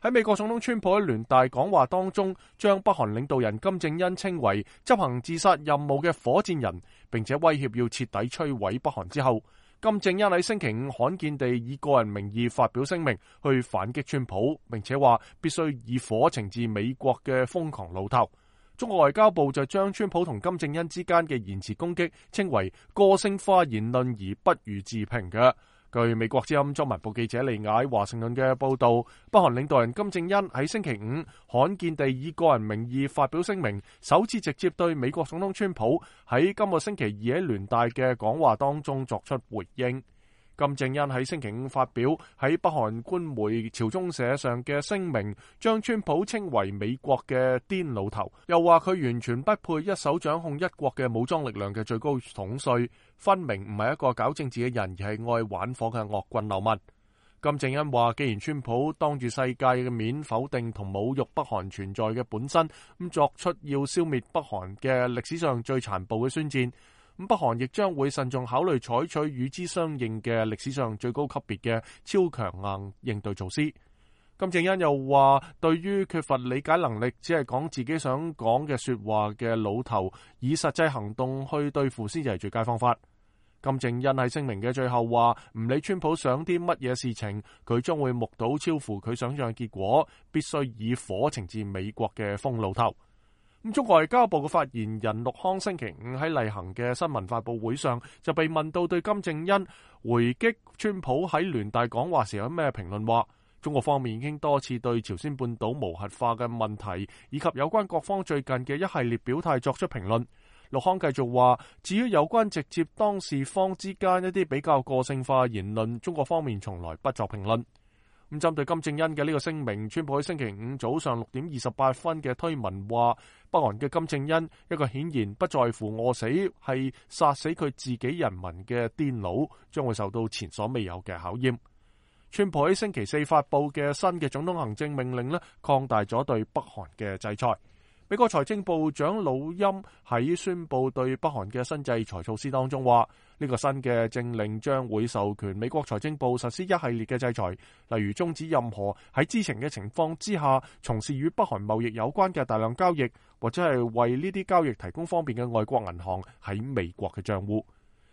喺美國總統川普喺聯大講話當中，將北韓領導人金正恩稱為執行自殺任務嘅火箭人，並且威脅要徹底摧毀北韓之後，金正恩喺星期五罕見地以個人名義發表聲明去反擊川普，並且話必須以火懲治美國嘅瘋狂老頭。中國外交部就將川普同金正恩之間嘅言辭攻擊稱為個性化言論而不予置評嘅。據美國之音中文部記者利雅喺華盛頓嘅報道，北韓領導人金正恩喺星期五罕見地以個人名義發表聲明，首次直接對美國總統川普喺今個星期二喺聯大嘅講話當中作出回應。金正恩喺星期五發表喺北韓官媒朝中社上嘅聲明，將川普稱為美國嘅癲老頭，又話佢完全不配一手掌控一國嘅武裝力量嘅最高統帥，分明唔係一個搞政治嘅人，而係愛玩火嘅惡棍流民。金正恩話，既然川普當住世界嘅面否定同侮辱北韓存在嘅本身，咁作出要消滅北韓嘅歷史上最殘暴嘅宣戰，咁北韓亦將會慎重考慮採取與之相應嘅歷史上最高級別嘅超強硬應對措施。金正恩又話，對於缺乏理解能力，只係講自己想講嘅說話嘅老頭，以實際行動去對付先至係最佳方法。金正恩喺聲明嘅最後話，唔理川普想啲乜嘢事情，佢將會目睹超乎佢想象嘅結果，必須以火懲治美國嘅瘋老頭。中國外交部嘅發言人陸康星期五喺例行嘅新聞發佈會上就被問到對金正恩回擊川普喺聯大講話時有咩評論，話中國方面已經多次對朝鮮半島無核化嘅問題以及有關各方最近嘅一系列表態作出評論。陸康繼續話，至於有關直接當事方之間一啲比較個性化言論，中國方面從來不作評論。咁針對金正恩嘅呢個聲明，川普喺星期五早上6:28嘅推文話，北韓嘅金正恩一個顯然不在乎餓死，係殺死佢自己人民嘅癲佬，將會受到前所未有嘅考驗。川普喺星期四發佈嘅新嘅總統行政命令擴大咗對北韓嘅制裁。美國財政部長魯欽喺宣布對北韓嘅新制裁措施當中話，呢個新嘅政令將會授權美國財政部實施一系列嘅制裁，例如終止任何喺知情嘅情況之下從事與北韓貿易有關嘅大量交易，或者係為呢啲交易提供方便嘅外國銀行喺美國嘅賬戶。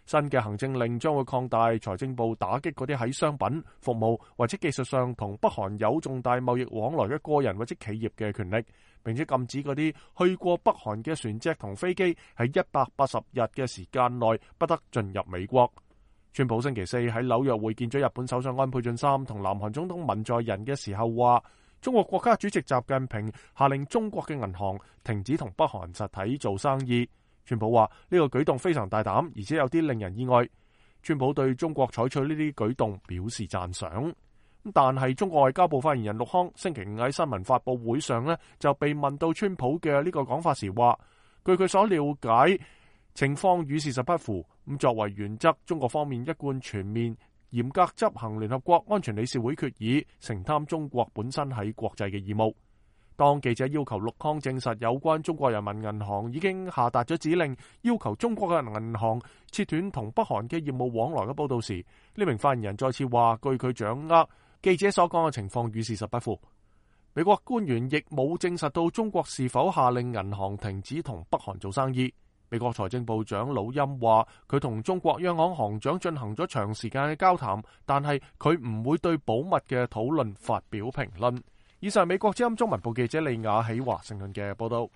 新嘅行政令將會擴大財政部打擊嗰啲喺商品、服務或者技術上同北韓有重大貿易往來嘅個人或者企業嘅權力，並且禁止嗰啲去過北韓嘅船隻同飛機喺180日嘅時間內不得進入美國。川普星期四喺紐約會見咗日本首相安倍晉三同南韓總統文在寅嘅時候話，中國國家主席習近平下令中國嘅銀行停止同北韓實體做生意。川普話呢個舉動非常大膽，而且有啲令人意外。川普對中國採取呢啲舉動表示讚賞。但係中國外交部發言人陸康星期五喺新聞發佈會上就被問到川普嘅呢個講法時話，據佢所了解，情況與事實不符。咁作為原則，中國方面一貫全面嚴格執行聯合國安全理事會決議，承擔中國本身喺國際嘅義務。當記者要求陸康證實有關中國人民銀行已經下達咗指令，要求中國嘅銀行切斷同北韓嘅業務往來嘅報道時，呢名發言人再次話，據佢掌握，記者所講嘅情況與事實不符。美國官員亦冇證實到中國是否下令銀行停止同北韓做生意。美國財政部長魯欽話，佢同中國央行行長進行咗長時間嘅交談，但係佢唔會對保密嘅討論發表評論。以上美國之音中文部記者利雅喺華盛頓嘅報道。